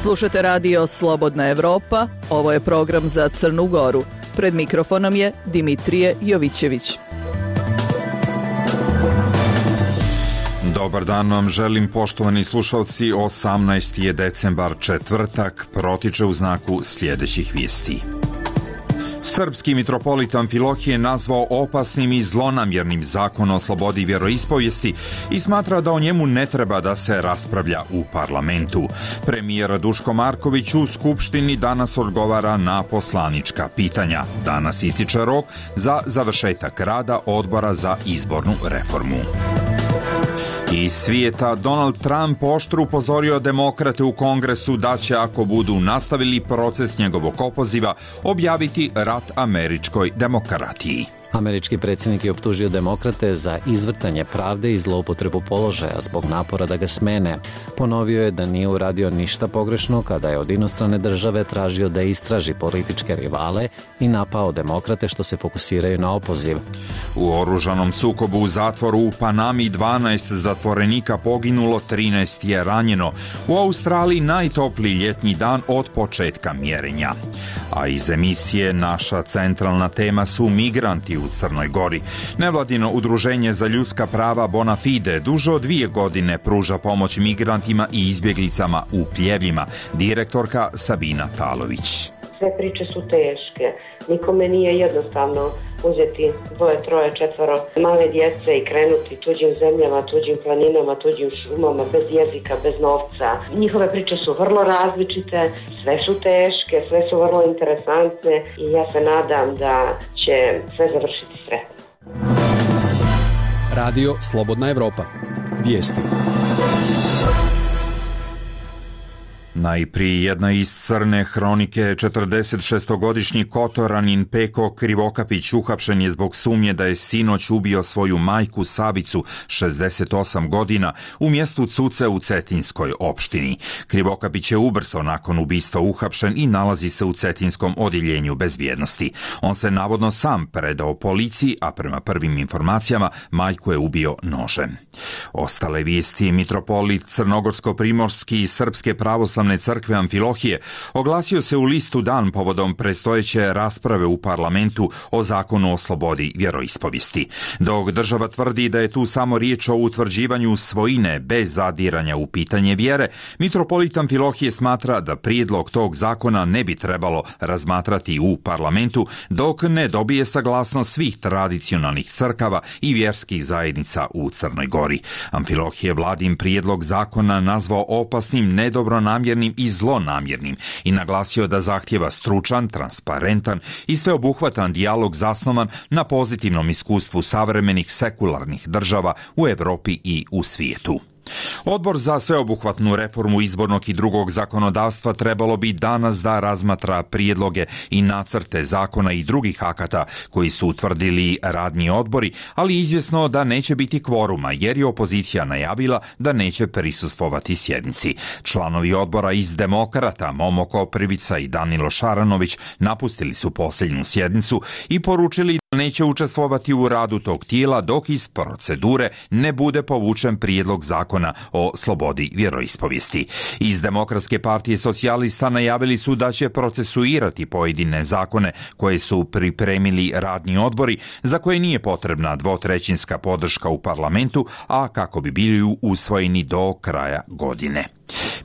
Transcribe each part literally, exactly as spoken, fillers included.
Slušate radio Slobodna Evropa, ovo je program za Crnu Goru. Pred mikrofonom je Dimitrije Jovićević. Dobar dan vam želim, poštovani slušalci. osamnaesti je decembar, četvrtak, protiče u znaku sljedećih vijesti. Srpski mitropolit Amfilohije nazvao opasnim i zlonamjernim zakon o slobodi vjeroispovijesti i smatra da o njemu ne treba da se raspravlja u parlamentu. Premijer Duško Marković u Skupštini danas odgovara na poslanička pitanja. Danas ističe rok za završetak rada Odbora za izbornu reformu. Iz svijeta, Donald Trump oštro upozorio demokrate u Kongresu da će, ako budu nastavili proces njegovog opoziva, objaviti rat američkoj demokratiji. Američki predsjednik je optužio demokrate za izvrtanje pravde i zloupotrebu položaja zbog napora da ga smene. Ponovio je da nije uradio ništa pogrešno kada je od inostrane države tražio da istraži političke rivale i napao demokrate što se fokusiraju na opoziv. U oružanom sukobu u zatvoru u Panami dvanaest zatvorenika poginulo, trinaest je ranjeno. U Australiji najtopliji ljetnji dan od početka mjerenja. A iz emisije naša centralna tema su migranti u Crnoj Gori. Nevladino udruženje za ljudska prava Bona Fide duže od dvije godine pruža pomoć migrantima i izbjeglicama u Pljevljima. Direktorka Sabina Talović. Sve priče su teške. Nikome nije jednostavno uzeti dvoje, troje, četvoro male djece i krenuti tuđim zemljama, tuđim planinama, tuđim šumama, bez jezika, bez novca. Njihove priče su vrlo različite, sve su teške, sve su vrlo interesantne i ja se nadam da će sve završiti sretno. Radio Slobodna Evropa. Vijesti. Najprije jedna iz crne hronike. četrdesetšestogodišnji Kotoranin Peko Krivokapić uhapšen je zbog sumnje da je sinoć ubio svoju majku Savicu, šezdeset osam godina, u mjestu Cuce u Cetinskoj opštini. Krivokapić je ubrzo nakon ubistva uhapšen i nalazi se u Cetinskom odjeljenju bezbjednosti. On se navodno sam predao policiji, a prema prvim informacijama majku je ubio nožem. Ostale vijesti. Mitropolit Crnogorsko-primorski i Srpske pravoslavne crkve Amfilohije oglasio se u listu dan povodom predstojeće rasprave u parlamentu o zakonu o slobodi vjeroispovijesti. Dok država tvrdi da je tu samo riječ o utvrđivanju svojine bez zadiranja u pitanje vjere, mitropolit Amfilohije smatra da prijedlog tog zakona ne bi trebalo razmatrati u parlamentu dok ne dobije saglasnost svih tradicionalnih crkava i vjerskih zajednica u Crnoj Gori. Amfilohije vladin prijedlog zakona nazvao opasnim, nedobronamjernim i zlonamjernim i naglasio da zahtjeva stručan, transparentan i sveobuhvatan dijalog zasnovan na pozitivnom iskustvu savremenih sekularnih država u Europi i u svijetu. Odbor za sveobuhvatnu reformu izbornog i drugog zakonodavstva trebalo bi danas da razmatra prijedloge i nacrte zakona i drugih akata koji su utvrdili radni odbori, ali izvjesno da neće biti kvoruma jer je opozicija najavila da neće prisustvovati sjednici. Članovi odbora iz Demokrata Momo Koprivica i Danilo Šaranović napustili su posljednju sjednicu i poručili da neće učestvovati u radu tog tijela dok iz procedure ne bude povučen prijedlog zakona o slobodi vjeroispovijesti. Iz Demokratske partije socijalista najavili su da će procesuirati pojedine zakone koje su pripremili radni odbori za koje nije potrebna dvotrećinska podrška u parlamentu, a kako bi bili usvojeni do kraja godine.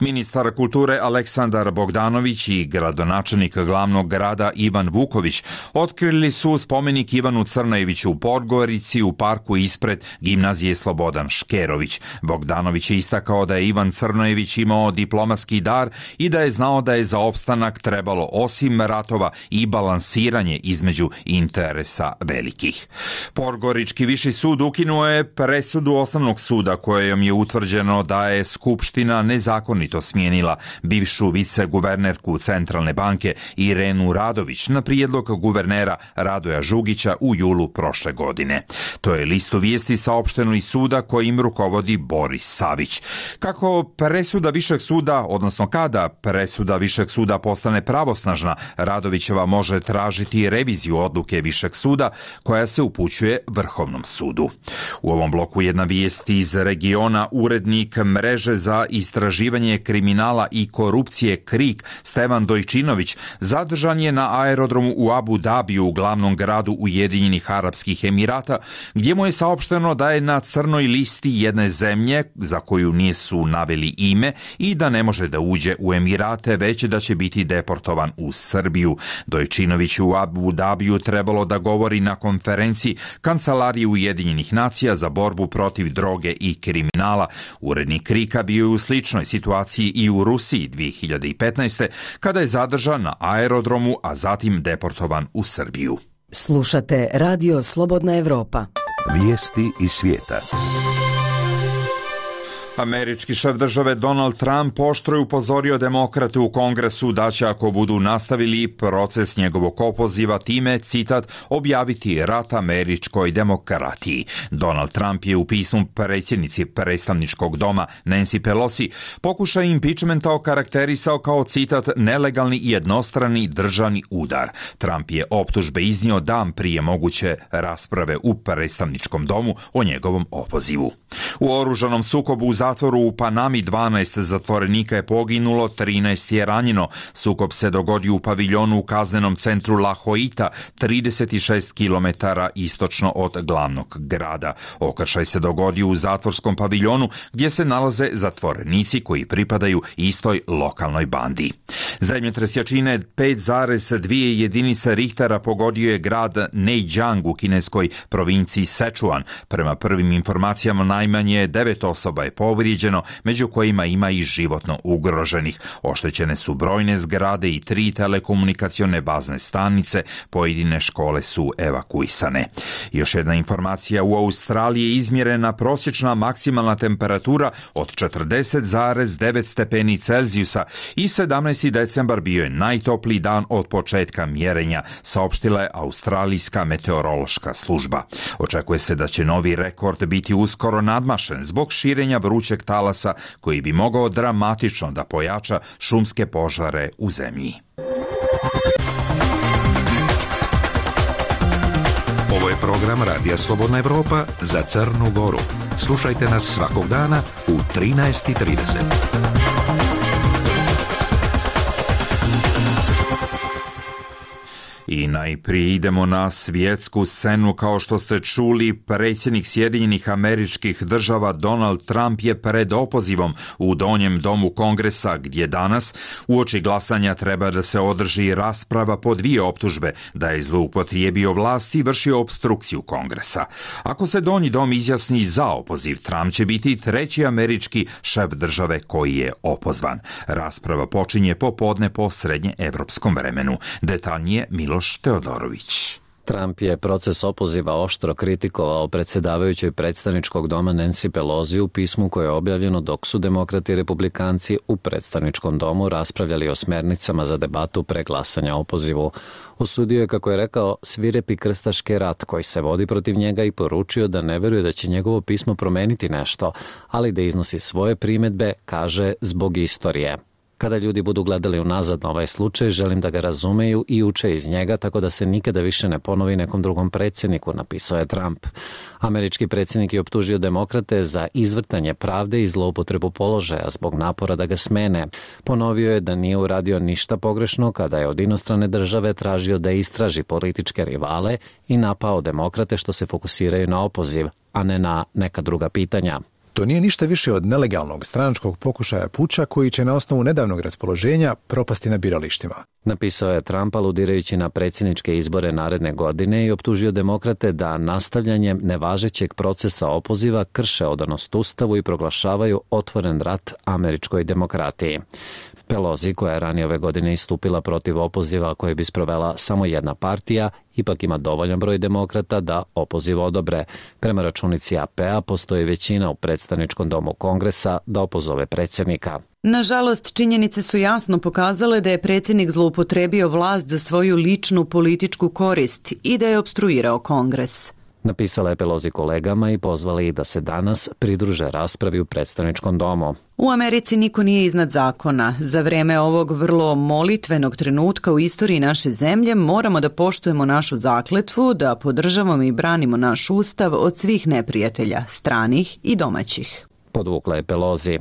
Ministar kulture Aleksandar Bogdanović i gradonačelnik glavnog grada Ivan Vuković otkrili su spomenik Ivanu Crnojeviću u Podgorici u parku ispred gimnazije Slobodan Škerović. Bogdanović je istakao da je Ivan Crnojević imao diplomatski dar i da je znao da je za opstanak trebalo osim ratova i balansiranje između interesa velikih. Podgorički viši sud ukinuo je presudu osnovnog suda kojom je utvrđeno da je Skupština nezakonito smijenila bivšu viceguvernerku Centralne banke Irenu Radović na prijedlog guvernera Radoja Žugića u julu prošle godine. To je listu vijesti saopšteno iz suda kojim rukovodi Boris Savić. Kako presuda višeg suda, odnosno kada presuda višeg suda postane pravosnažna, Radovićeva može tražiti reviziju odluke višeg suda koja se upućuje Vrhovnom sudu. U ovom bloku jedna vijest iz regiona. Urednik mreže za istraživanje suzbijanje kriminala i korupcije KRIK Stevan Dojčinović zadržan je na aerodromu u Abu Dabiju, u glavnom gradu Ujedinjenih Arapskih Emirata, gdje mu je saopšteno da je na crnoj listi jedne zemlje za koju nisu naveli ime i da ne može da uđe u Emirate, već da će biti deportovan u Srbiju. Dojčinović u Abu Dabiju trebalo da govori na konferenciji Kancelarije Ujedinjenih nacija za borbu protiv droge i kriminala. Urednik KRIK-a bio je u sličnoj situaciji i u Rusiji dvije hiljade petnaeste. kada je zadržan na aerodromu, a zatim deportovan u Srbiju. Slušate Radio Slobodna Evropa. Vijesti iz svijeta. Američki šef države Donald Trump oštro je upozorio demokrate u Kongresu da će, ako budu nastavili proces njegovog opoziva, time, citat, objaviti rat američkoj demokratiji. Donald Trump je u pismu predsjednici predstavničkog doma Nancy Pelosi pokušaj impeachmenta okarakterisao kao, citat, nelegalni i jednostrani državni udar. Trump je optužbe iznio dan prije moguće rasprave u predstavničkom domu o njegovom opozivu. U oružanom sukobu u zatvoru u Panami dvanaest zatvorenika je poginulo, trinaest je ranjeno. Sukob se dogodio u paviljonu u kaznenom centru La Joita, trideset šest kilometara istočno od glavnog grada. Okršaj se dogodio u zatvorskom paviljonu gdje se nalaze zatvorenici koji pripadaju istoj lokalnoj bandi. Zemljotres jačine pet zarez dvije jedinice Richtera pogodio je grad Neijiang u kineskoj provinciji Sichuan. Prema prvim informacijama najmanje devet osoba je povrijeđeno, među kojima ima i životno ugroženih. Oštećene su brojne zgrade i tri telekomunikacione bazne stanice, pojedine škole su evakuisane. Još jedna informacija, u Australiji je izmjerena prosječna maksimalna temperatura od četrdeset zarez devet stepeni Celzijusa i sedamnaesti decembar bio je najtopliji dan od početka mjerenja, saopštila je Australijska meteorološka služba. Očekuje se da će novi rekord biti uskoro nadmašen zbog širenja vrućeg talasa koji bi mogao dramatično da pojača šumske požare u zemlji. Ovo je program Radija Slobodna Evropa za Crnu Goru. Slušajte nas svakog dana u trinaest i trideset. I najprije idemo na svjetsku scenu. Kao što ste čuli, predsjednik Sjedinjenih Američkih Država Donald Trump je pred opozivom u donjem domu Kongresa, gdje danas uoči glasanja treba da se održi rasprava po dvije optužbe da je zloupotrijebio vlast i vršio opstrukciju Kongresa. Ako se donji dom izjasni za opoziv, Trump će biti treći američki šef države koji je opozvan. Rasprava počinje popodne po srednje evropskom vremenu. Detaljnije Miloš Teodorović. Trump je proces opoziva oštro kritikovao predsjedavajućoj predstavničkog doma Nancy Pelosi u pismu koje je objavljeno dok su demokrati i republikanci u predstavničkom domu raspravljali o smernicama za debatu pre glasanja o opozivu. Osudio je, kako je rekao, svirepi krstaški rat koji se vodi protiv njega i poručio da ne veruje da će njegovo pismo promeniti nešto, ali da iznosi svoje primjedbe, kaže, zbog istorije. Kada ljudi budu gledali unazad na ovaj slučaj, želim da ga razumeju i uče iz njega tako da se nikada više ne ponovi nekom drugom predsjedniku, napisao je Trump. Američki predsjednik je optužio demokrate za izvrtanje pravde i zloupotrebu položaja zbog napora da ga smene. Ponovio je da nije uradio ništa pogrešno kada je od inostrane države tražio da istraži političke rivale i napao demokrate što se fokusiraju na opoziv, a ne na neka druga pitanja. To nije ništa više od nelegalnog stranačkog pokušaja puča koji će na osnovu nedavnog raspoloženja propasti na biralištima. Napisao je Trump aludirajući na predsjedničke izbore naredne godine i optužio demokrate da nastavljanjem nevažećeg procesa opoziva krše odanost Ustavu i proglašavaju otvoren rat američkoj demokratiji. Pelosi, koja je ranije ove godine istupila protiv opoziva koje bi sprovela samo jedna partija, ipak ima dovoljan broj demokrata da opoziv odobre. Prema računici A P A postoji većina u predstavničkom domu Kongresa da opozove predsjednika. Nažalost, činjenice su jasno pokazale da je predsjednik zloupotrebio vlast za svoju ličnu političku korist i da je opstruirao Kongres. Napisala je Pelosi kolegama i pozvala ih da se danas pridruže raspravi u predstavničkom domu. U Americi niko nije iznad zakona. Za vreme ovog vrlo molitvenog trenutka u istoriji naše zemlje moramo da poštujemo našu zakletvu, da podržavamo i branimo naš ustav od svih neprijatelja, stranih i domaćih. Podvukla je Pelosi.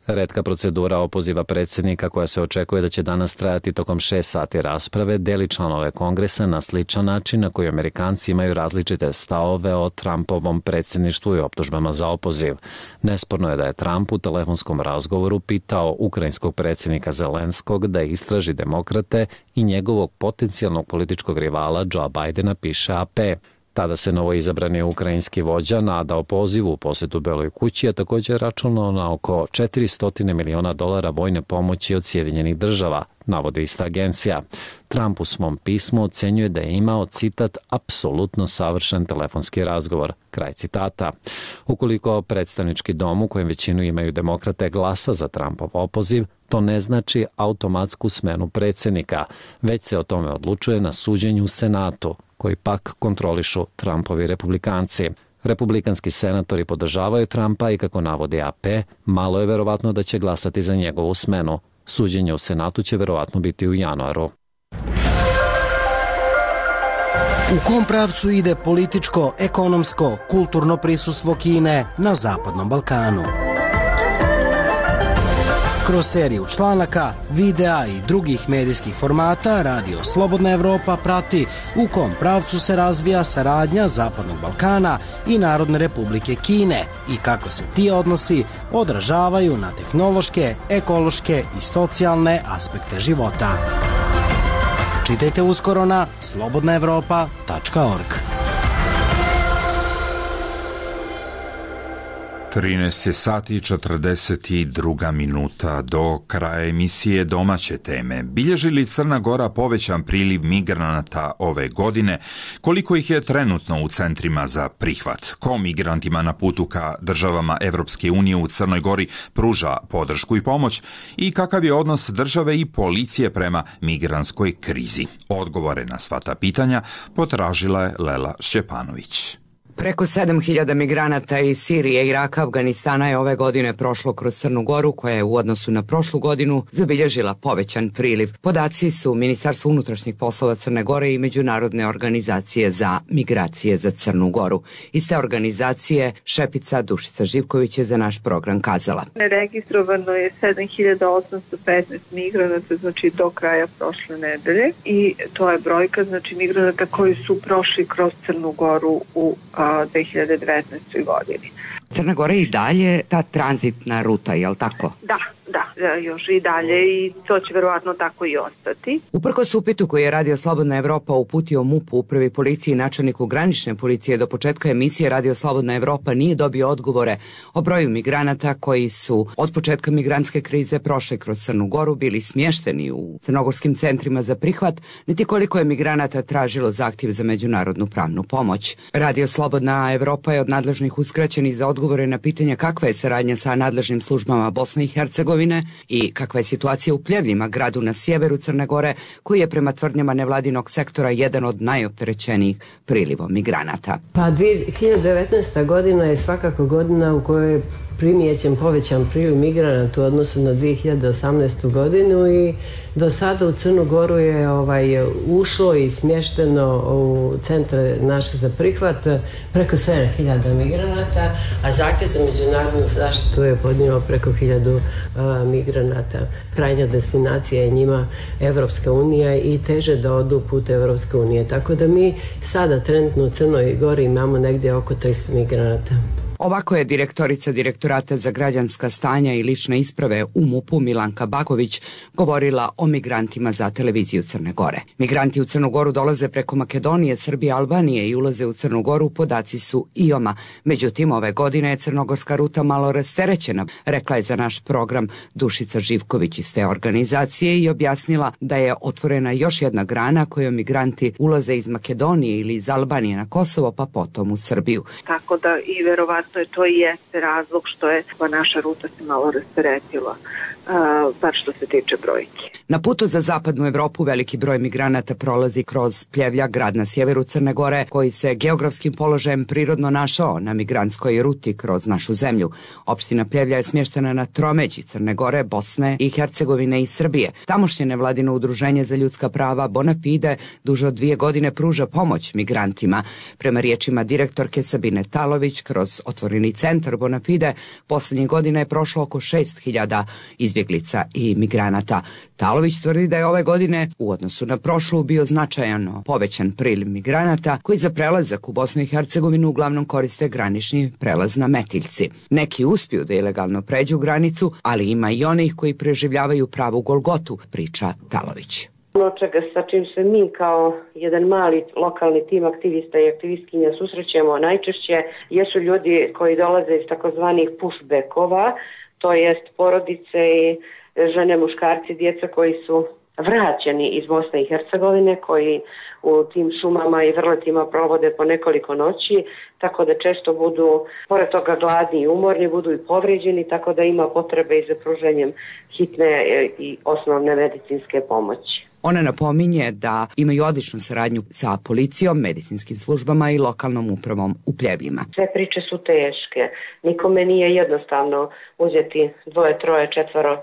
Retka procedura opoziva predsjednika koja se očekuje da će danas trajati tokom šest sati rasprave deli članove kongresa na sličan način na koji Amerikanci imaju različite stavove o Trumpovom predsjedništvu i optužbama za opoziv. Nesporno je da je Trump u telefonskom razgovoru pitao ukrajinskog predsjednika Zelenskog da istraži demokrate i njegovog potencijalnog političkog rivala Joe Bidena, piše A P. Tada se novoizabrani ukrajinski vođa nadao pozivu u posjetu Beloj kući, a također računao na oko četiristo miliona dolara vojne pomoći od Sjedinjenih država, navodi ista agencija. Trump u svom pismu ocenjuje da je imao, citat, apsolutno savršen telefonski razgovor, kraj citata. Ukoliko predstavnički dom u kojem većinu imaju demokrate glasa za Trumpov opoziv, to ne znači automatsku smenu predsjednika, već se o tome odlučuje na suđenju u Senatu, koji pak kontrolišu Trumpovi republikanci. Republikanski senatori podržavaju Trumpa i, kako navodi A P, malo je verovatno da će glasati za njegovu smenu. Suđenje u Senatu će verovatno biti u januaru. U kom pravcu ide političko, ekonomsko, kulturno prisustvo Kine na Zapadnom Balkanu? Kroz seriju članaka, videa i drugih medijskih formata Radio Slobodna Evropa prati u kom pravcu se razvija saradnja Zapadnog Balkana i Narodne Republike Kine i kako se ti odnosi odražavaju na tehnološke, ekološke i socijalne aspekte života. Čitajte uskoro na slobodna evropa tačka org. trinaest sati i četrdeset dva minuta do kraja emisije domaće teme. Bilježi li Crna Gora povećan priliv migranata ove godine? Koliko ih je trenutno u centrima za prihvat? Ko migrantima na putu ka državama Evropske unije u Crnoj Gori pruža podršku i pomoć? I kakav je odnos države i policije prema migrantskoj krizi? Odgovore na sva ta pitanja potražila je Lela Šćepanović. Preko sedam hiljada migranata iz Sirije, Iraka, Afganistana je ove godine prošlo kroz Crnu Goru, koja je u odnosu na prošlu godinu zabilježila povećan priliv. Podaci su Ministarstvo unutrašnjih poslova Crne Gore i Međunarodne organizacije za migracije za Crnu Goru. Iz te organizacije šefica Dušica Živković je za naš program kazala: Registrovano je sedam hiljada osamsto petnaest migranata, znači do kraja prošle nedelje, i to je brojka, znači migranata koji su prošli kroz Crnu Goru u dve hiljade devetnaestoj godini. Crna Gora je i dalje ta tranzitna ruta, je li tako? Da, da, još i dalje, i to će verovatno tako i ostati. Uprkos upitu koji je Radio Slobodna Evropa uputio M U P-u, Upravi policiji i načelniku granične policije, do početka emisije Radio Slobodna Evropa nije dobio odgovore o broju migranata koji su od početka migrantske krize prošli kroz Crnu Goru, bili smješteni u crnogorskim centrima za prihvat, niti koliko je migranata tražilo zahtjev za međunarodnu pravnu pomoć. Radio Slobodna Evropa je od nadležnih uskraćenih za odgovore na pitanja kakva je saradnja sa nadležnim službama Bosne i Hercegovine i kakva je situacija u Pljevljima, gradu na sjeveru Crne Gore, koji je prema tvrdnjama nevladinog sektora jedan od najopterećenijih prilivom migranata. Pa dvije hiljade devetnaesta. godina je svakako godina u kojoj je primijećen povećan priliv migranata u odnosu na dvije hiljade osamnaestu. godinu i do sada u Crnu Goru je ovaj, ušlo i smješteno u centre naše za prihvat preko sedam hiljada migranata, a zahtjev za međunarodnu zaštitu je podnijelo preko hiljadu uh, migranata. Krajnja destinacija je njima Evropska unija i teže da odu put Evropske unije. Tako da mi sada trenutno u Crnoj Gori imamo negdje oko tristo migranata. Ovako je direktorica Direktorata za građanska stanja i lične isprave u M U P-u Milanka Baković govorila o migrantima za televiziju Crne Gore. Migranti u Crnu Goru dolaze preko Makedonije, Srbije, Albanije i ulaze u Crnu Goru, podaci su I O M-a. Međutim, ove godine je crnogorska ruta malo rasterećena, rekla je za naš program Dušica Živković iz te organizacije i objasnila da je otvorena još jedna grana kojom migranti ulaze iz Makedonije ili iz Albanije na Kosovo, pa potom u Srbiju. Tako da i verovatno je to i jeste razlog što je naša ruta se malo rasteretila. bar što se tiče brojke. Na putu za zapadnu Evropu veliki broj migranata prolazi kroz Pljevlja, grad na sjeveru Crne Gore, koji se geografskim položajem prirodno našao na migrantskoj ruti kroz našu zemlju. Opština Pljevlja je smještena na tromeđi Crne Gore, Bosne i Hercegovine i Srbije. Tamošnje nevladino udruženje za ljudska prava Bonafide duže od dvije godine pruža pomoć migrantima. Prema riječima direktorke Sabine Talović, kroz otvoreni centar Bonafide posljednjih godina je prošlo oko šest hiljada izbjeglica i migranata. Talović tvrdi da je ove godine u odnosu na prošlu bio značajno povećan priliv migranata koji za prelazak u Bosnu i Hercegovinu uglavnom koriste granični prelaz na Metiljci. Neki uspiju da ilegalno pređu granicu, ali ima i onih koji preživljavaju pravu Golgotu, priča Talović. Ono čega sa čim se mi kao jedan mali lokalni tim aktivista i aktivistkinja susrećemo najčešće jesu ljudi koji dolaze iz takozvanih pushbackova, to jest porodice i žene, muškarci, djeca koji su vraćeni iz Bosne i Hercegovine, koji u tim šumama i vrletima provode po nekoliko noći, tako da često budu, pored toga, gladni i umorni, budu i povrijeđeni, tako da ima potrebe i za pruženjem hitne i osnovne medicinske pomoći. Ona napominje da imaju odličnu saradnju sa policijom, medicinskim službama i lokalnom upravom u Pljevljima. Sve priče su teške. Nikome nije jednostavno uzeti dvoje, troje, četvoro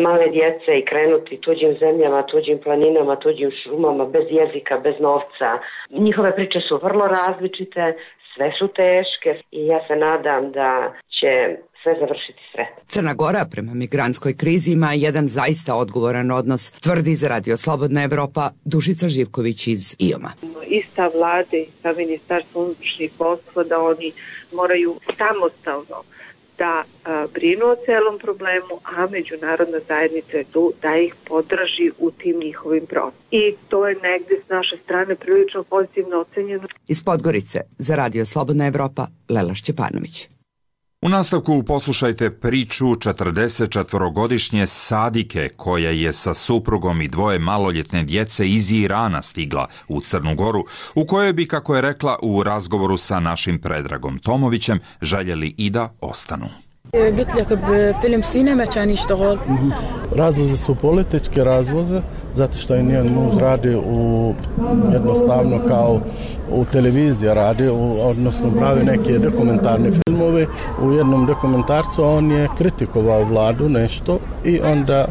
male djece i krenuti tuđim zemljama, tuđim planinama, tuđim šumama, bez jezika, bez novca. Njihove priče su vrlo različite, sve su teške i ja se nadam da će sve završiti sretno. Crna Gora prema migrantskoj krizi ima jedan zaista odgovoran odnos, tvrdi za Radio Slobodna Evropa Dušica Živković iz I O M-a. Ista vlade i sa Ministarstvom unutrašnjih poslova da oni moraju samostalno da a, brinu o celom problemu, a međunarodna zajednica je tu da ih podrži u tim njihovim procesima. I to je negdje s naše strane prilično pozitivno ocenjeno. Iz Podgorice za Radio Slobodna Evropa Lela Šćepanović. U nastavku poslušajte priču četrdesetčetvorogodišnje Sadike koja je sa suprugom i dvoje maloljetne djece iz Irana stigla u Crnu Goru, u kojoj bi, kako je rekla u razgovoru sa našim Predragom Tomovićem, željeli i da ostanu. Razlozi su političke razloze, zato što je njen muž radi u, jednostavno kao u televiziji radi, u, odnosno pravi neke dokumentarne filmove. U jednom dokumentarcu on je kritikovao vladu nešto i onda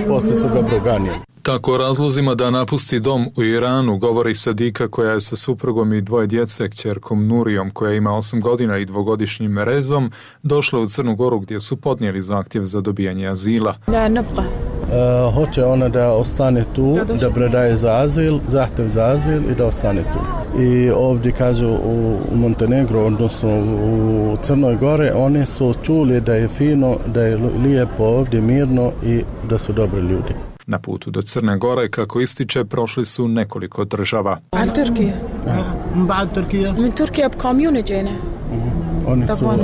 poslije su ga proganjali. Tako o razlozima da napusti dom u Iranu govori Sadika koja je sa suprugom i dvoje djece, kćerkom Nurijom koja ima osam godina i dvogodišnjim Rezom, došla u Crnu Goru gdje su podnijeli zahtjev za dobijanje azila. Uh, hoće ona da ostane tu, da predaje za azil, zahtjev za azil i da ostane tu. I ovdje kažu u, u Montenegro, odnosno u Crnoj Gore, oni su čuli da je fino, da je lijepo ovdje, mirno i da su dobri ljudi. Na putu do Crne Gore, kako ističe, prošli su nekoliko država. Oni su uh,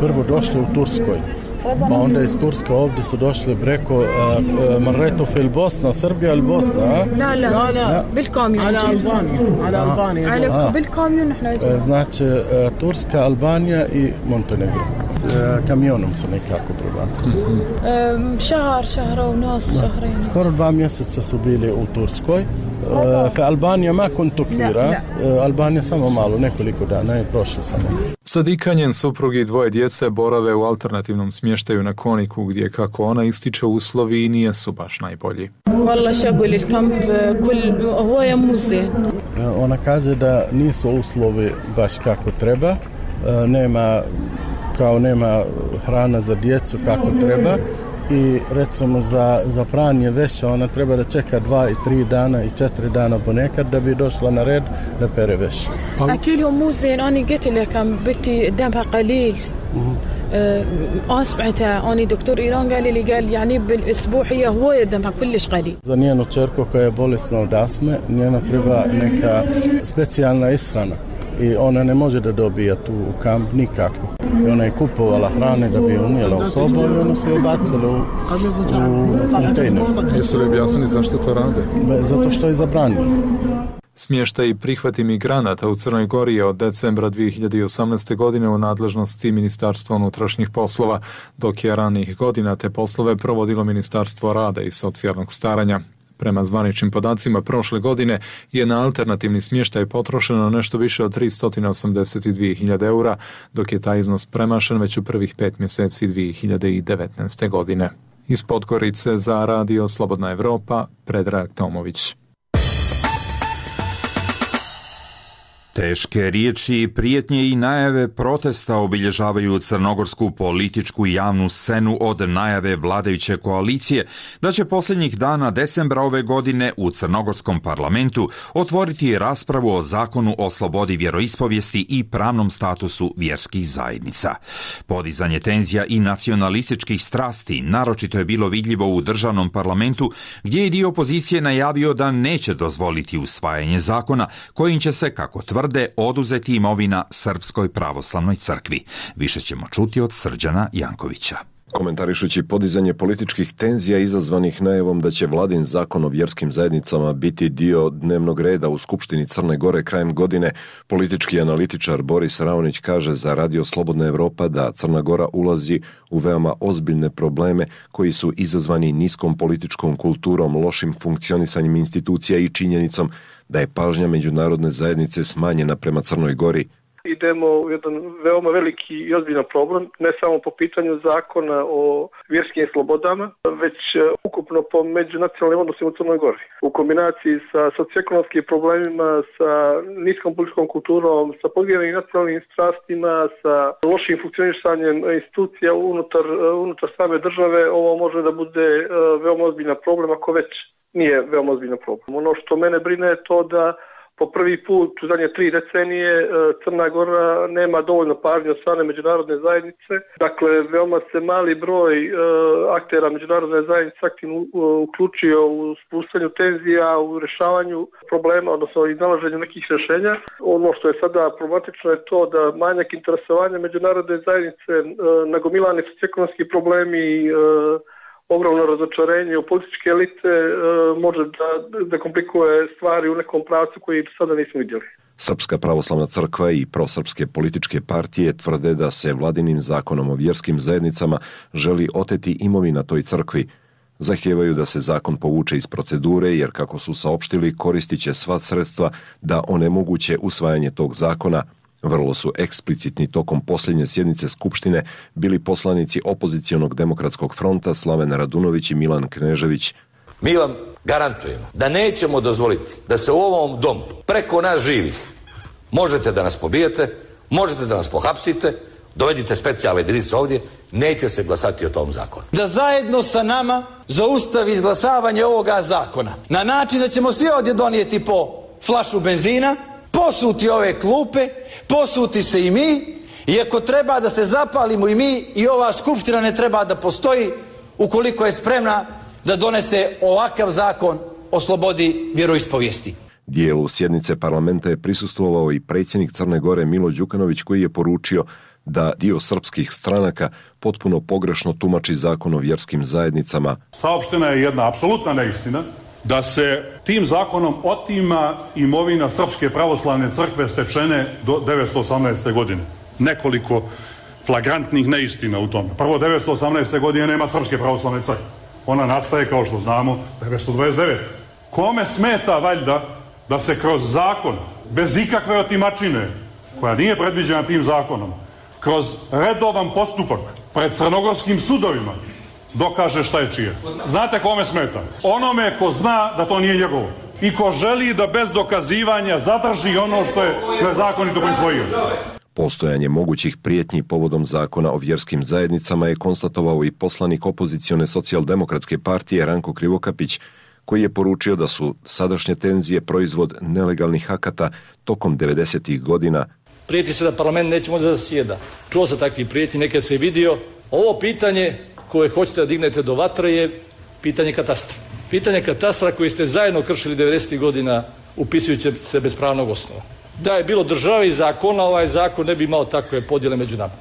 prvo došli u Turskoj, pa onda iz Turske ovdje su došli preko uh, uh, Marretov ili Bosna, Srbija ili Bosna? A? La, la, la, la. بالكاميون. على ألبانيا. على ألبانيا. على بالكاميون احنا. Znači uh, Turska, Albanija i Montenegro. Uh, kamionom su nekako prebacili. شهر شهر ونص شهرين. Skoro dva mjeseca su bili u Turskoj. Uh, Albanija ma كنت كثيرة. Albanija samo malo, nekoliko dana je prošlo samo. Sadika, njen suprug i dvoje djece borave u alternativnom smještaju na Koniku, gdje, kako ona ističe, uslovi nisu baš najbolji. Ona kaže da nisu uslovi baš kako treba, nema, kao nema hrana za djecu kako treba i recimo za, za pranje veša ona treba da čeka dva i tri dana i četiri dana ponekad da bi došla na red da pere veš. أكلهم مو زين أنا قلت لك بنتي دمها قليل أسمعتها أنا دكتور إيران قال لي قال يعني بالأسبوع هي هو دمها كلش قليل. Za njenu čerku koja je bolesna od astme, njena treba neka specijalna ishrana i ona ne može da dobija tu u kamp nikako. I ona je kupovala hrane da bi unijela u sobu i ona se je bacila u, u kontejner. Jesu li objasnili zašto to rade? Zato što je zabranjeno. Smještaj i prihvat imigranata u Crnoj Gori je od decembra dvije hiljade osamnaeste. godine u nadležnosti Ministarstva unutrašnjih poslova, dok je ranih godina te poslove provodilo Ministarstvo rada i socijalnog staranja. Prema zvaničnim podacima prošle godine je na alternativni smještaj potrošeno nešto više od tristo osamdeset dvije hiljade eura, dok je taj iznos premašen već u prvih pet mjeseci dvije hiljade devetnaeste. godine. Iz Podgorice za Radio Slobodna Evropa, Predrag Tomović. Teške riječi, prijetnje i najave protesta obilježavaju crnogorsku političku i javnu scenu od najave vladajuće koalicije da će posljednjih dana decembra ove godine u crnogorskom parlamentu otvoriti raspravu o zakonu o slobodi vjeroispovijesti i pravnom statusu vjerskih zajednica. Podizanje tenzija i nacionalističkih strasti naročito je bilo vidljivo u državnom parlamentu, gdje je dio opozicije najavio da neće dozvoliti usvajanje zakona kojim će se, kako tvrde, oduzeti imovina Srpskoj pravoslavnoj crkvi. Više ćemo čuti od Srđana Jankovića. Komentarišući podizanje političkih tenzija izazvanih najavom da će vladin zakon o vjerskim zajednicama biti dio dnevnog reda u Skupštini Crne Gore krajem godine, politički analitičar Boris Raonić kaže za Radio Slobodna Evropa da Crna Gora ulazi u veoma ozbiljne probleme koji su izazvani niskom političkom kulturom, lošim funkcionisanjem institucija i činjenicom da je pažnja međunarodne zajednice smanjena prema Crnoj Gori. Idemo u jedan veoma veliki i ozbiljan problem, ne samo po pitanju zakona o vjerskim slobodama, već ukupno po međunacionalnim odnosima u Crnoj Gori. U kombinaciji sa socioekonomskim problemima, sa niskom političkom kulturom, sa podijeljenim nacionalnim strastima, sa lošim funkcionisanjem institucija unutar, unutar same države, ovo može da bude veoma ozbiljan problem, ako već nije veoma ozbiljan problem. Ono što mene brine je to da po prvi put u zadnje tri decenije Crna Gora nema dovoljno pažnje od strane međunarodne zajednice. Dakle, veoma se mali broj uh, aktera međunarodne zajednice aktivno uh, uključio u spuštanju tenzija, u rješavanju problema, odnosno iznalaženju nekih rješenja. Ono što je sada problematično je to da manjak interesovanja međunarodne zajednice, uh, nagomilani socioekonomski problemi, uh, ogromno razočarenje u političke elite e, može da, da komplikuje stvari u nekom pravcu koji do sada nismo vidjeli. Srpska pravoslavna crkva i prosrpske političke partije tvrde da se vladinim zakonom o vjerskim zajednicama želi oteti imovina toj crkvi. Zahtijevaju da se zakon povuče iz procedure jer, kako su saopštili, koristit će sva sredstva da onemoguće usvajanje tog zakona. Vrlo su eksplicitni tokom posljednje sjednice Skupštine bili poslanici opozicionog demokratskog fronta Slaven Radunović i Milan Knežević. Mi vam garantujemo da nećemo dozvoliti da se u ovom domu preko nas živih možete da nas pobijete, možete da nas pohapsite, dovedite specijalne jedinice ovdje, neće se glasati o tom zakonu. Da zajedno sa nama zaustavi izglasavanje ovoga zakona na način da ćemo svi ovdje donijeti po flašu benzina, posuti ove klupe, posuti se i mi, i ako treba da se zapalimo i mi, i ova skupština ne treba da postoji ukoliko je spremna da donese ovakav zakon o slobodi vjeroispovijesti. Dijelu sjednice parlamenta je prisustvovao i predsjednik Crne Gore Milo Đukanović, koji je poručio da dio srpskih stranaka potpuno pogrešno tumači zakon o vjerskim zajednicama. Saopštena je jedna apsolutna neistina da se tim zakonom otima imovina Srpske pravoslavne crkve stečene do devetsto osamnaeste. godine. Nekoliko flagrantnih neistina u tome. Prvo, devetsto osamnaeste. godine nema Srpske pravoslavne crkve. Ona nastaje, kao što znamo, devetsto dvadeset devete. Kome smeta valjda da se kroz zakon, bez ikakve otimačine, koja nije predviđena tim zakonom, kroz redovan postupak pred crnogorskim sudovima, dokaže šta je čije. Znate kome smeta? Onome ko zna da to nije njegovo i ko želi da bez dokazivanja zadrži ono što je nezakonito prisvojio. Postojanje mogućih prijetnji povodom zakona o vjerskim zajednicama je konstatovao i poslanik opozicione socijaldemokratske partije Ranko Krivokapić, koji je poručio da su sadašnje tenzije proizvod nelegalnih akata tokom devedesetih godina. Prijeti se da parlament neće moći da zasjeda. Čuo se takvi prijeti, neke se je vidio. Ovo pitanje koje hoćete da dignete do vatre je pitanje katastra. Pitanje katastra koji ste zajedno kršili devedesetih godina upisujući se bez pravnog osnova. Da je bilo države i zakona, ovaj zakon ne bi imao takve podjele među nama.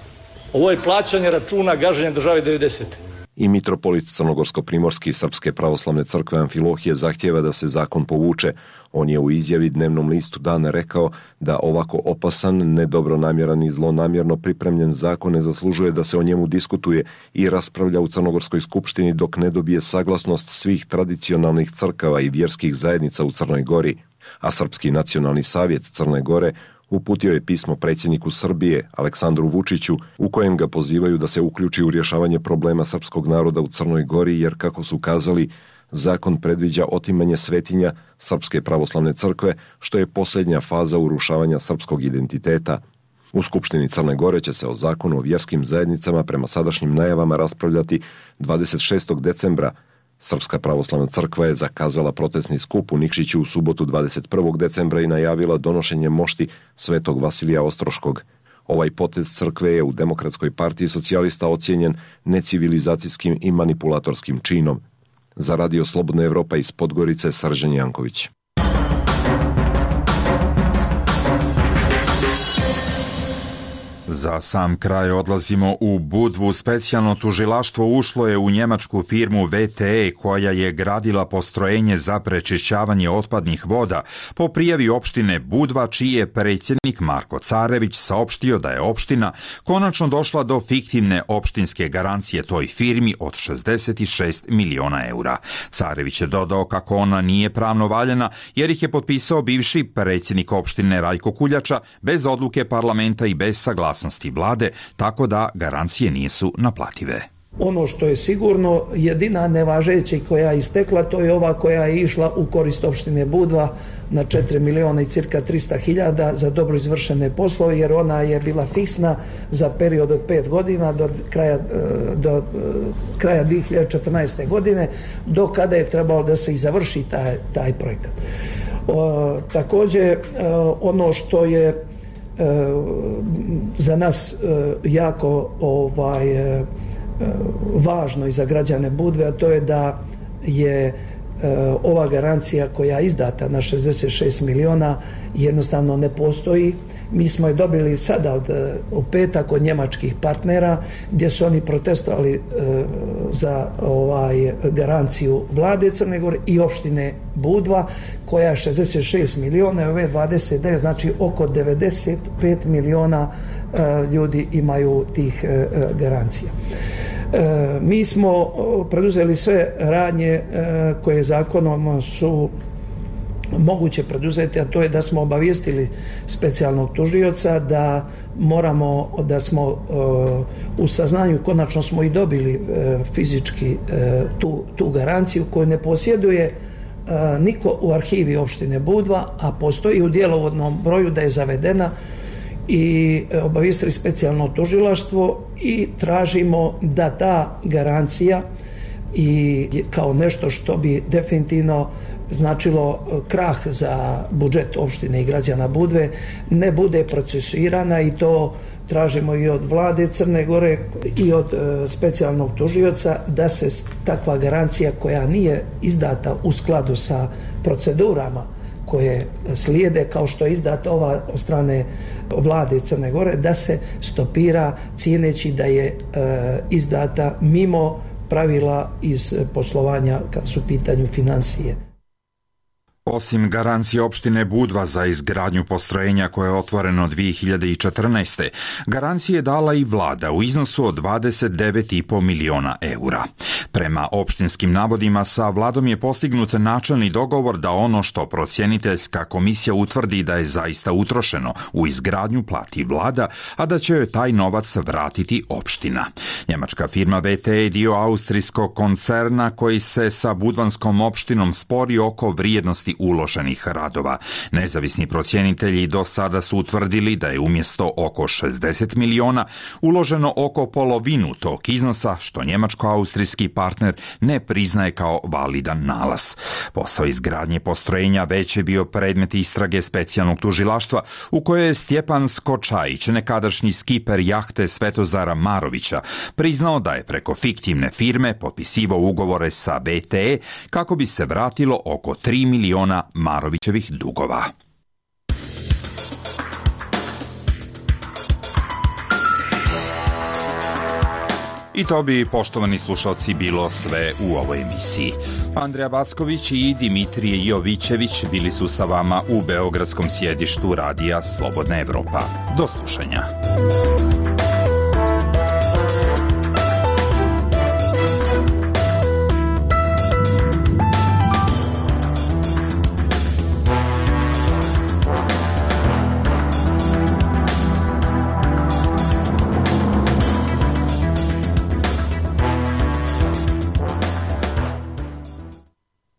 Ovo je plaćanje računa gaženja države devedesete. I mitropolit Crnogorsko-primorski Srpske pravoslavne crkve Amfilohije zahtjeva da se zakon povuče. On je u izjavi dnevnom listu Dana rekao da ovako opasan, nedobronamjeran i zlonamjerno pripremljen zakon ne zaslužuje da se o njemu diskutuje i raspravlja u Crnogorskoj skupštini dok ne dobije saglasnost svih tradicionalnih crkava i vjerskih zajednica u Crnoj Gori. A Srpski nacionalni savjet Crne Gore uputio je pismo predsjedniku Srbije, Aleksandru Vučiću, u kojem ga pozivaju da se uključi u rješavanje problema srpskog naroda u Crnoj Gori, jer, kako su kazali, zakon predviđa otimanje svetinja Srpske pravoslavne crkve, što je posljednja faza urušavanja srpskog identiteta. U Skupštini Crne Gore će se o zakonu o vjerskim zajednicama prema sadašnjim najavama raspravljati dvadeset šestog decembra. Srpska pravoslavna crkva je zakazala protestni skup u Nikšiću u subotu dvadeset prvog decembra i najavila donošenje mošti Svetog Vasilija Ostroškog. Ovaj potez crkve je u Demokratskoj partiji socijalista ocijenjen necivilizacijskim i manipulatorskim činom. Za Radio Slobodna Evropa iz Podgorice, Srđan Janković. Za sam kraj odlazimo u Budvu. Specijalno tužilaštvo ušlo je u njemačku firmu V T E koja je gradila postrojenje za prečišćavanje otpadnih voda po prijavi opštine Budva, čiji je predsjednik Marko Carević saopštio da je opština konačno došla do fiktivne opštinske garancije toj firmi od šezdeset šest miliona eura. Carević je dodao kako ona nije pravno valjana jer ih je potpisao bivši predsjednik opštine Rajko Kuljača bez odluke parlamenta i bez saglasnosti vlade, tako da garancije nisu naplative. Ono što je sigurno, jedina nevažeća koja je istekla, to je ova koja je išla u korist opštine Budva na četiri miliona i cirka trista hiljada za dobro izvršene poslove, jer ona je bila fiksna za period od pet godina do kraja, do kraja dvije hiljade četrnaeste. godine, do kada je trebalo da se i završi taj, taj projekat. O, također, ono što je za nas jako ovaj, važno i za građane Budve, a to je da je ova garancija koja je izdata na šezdeset šest miliona jednostavno ne postoji. Mi smo je dobili sada od, u petak od njemačkih partnera gdje su oni protestovali e, za ovaj garanciju vlade Crne Gore i opštine Budva koja je šezdeset šest miliona, ove dvadeset devet, znači oko devedeset pet miliona e, ljudi imaju tih e, garancija. E, mi smo preduzeli sve radnje e, koje zakonom su moguće preduzeti, a to je da smo obavijestili specijalnog tužioca da moramo, da smo uh, u saznanju, konačno smo i dobili uh, fizički uh, tu, tu garanciju koju ne posjeduje uh, niko u arhivi opštine Budva, a postoji u djelovodnom broju da je zavedena, i uh, obavijestili specijalno tužilaštvo i tražimo da ta garancija i kao nešto što bi definitivno značilo krah za budžet opštine i građana Budve ne bude procesuirana, i to tražimo i od vlade Crne Gore i od e, specijalnog tužioca da se takva garancija koja nije izdata u skladu sa procedurama koje slijede, kao što je izdata ova od strane vlade Crne Gore, da se stopira cijeneći da je e, izdata mimo pravila iz poslovanja kad su u pitanju financije. Osim garancije opštine Budva za izgradnju postrojenja koje je otvoreno dvije hiljade četrnaeste. garancije je dala i vlada u iznosu od dvadeset devet i po miliona eura. Prema opštinskim navodima sa vladom je postignut načelni dogovor da ono što procjeniteljska komisija utvrdi da je zaista utrošeno u izgradnju plati vlada, a da će joj taj novac vratiti opština. Njemačka firma V T E je dio austrijskog koncerna koji se sa budvanskom opštinom spori oko vrijednosti uloženih radova. Nezavisni procjenitelji do sada su utvrdili da je umjesto oko šezdeset miliona uloženo oko polovinu tog iznosa, što njemačko-austrijski partner ne priznaje kao validan nalaz. Posao izgradnje postrojenja već je bio predmet istrage specijalnog tužilaštva u kojoj je Stjepan Skočajić, nekadašnji skiper jahte Svetozara Marovića, priznao da je preko fiktivne firme potpisivao ugovore sa V T E kako bi se vratilo oko tri miliona Marovićevih dugova. I to bi, poštovani slušalci, bilo sve u ovoj emisiji. Andreja Backović i Dimitrije Jovićević bili su sa vama u beogradskom sjedištu Radija Slobodna Evropa. Do slušanja.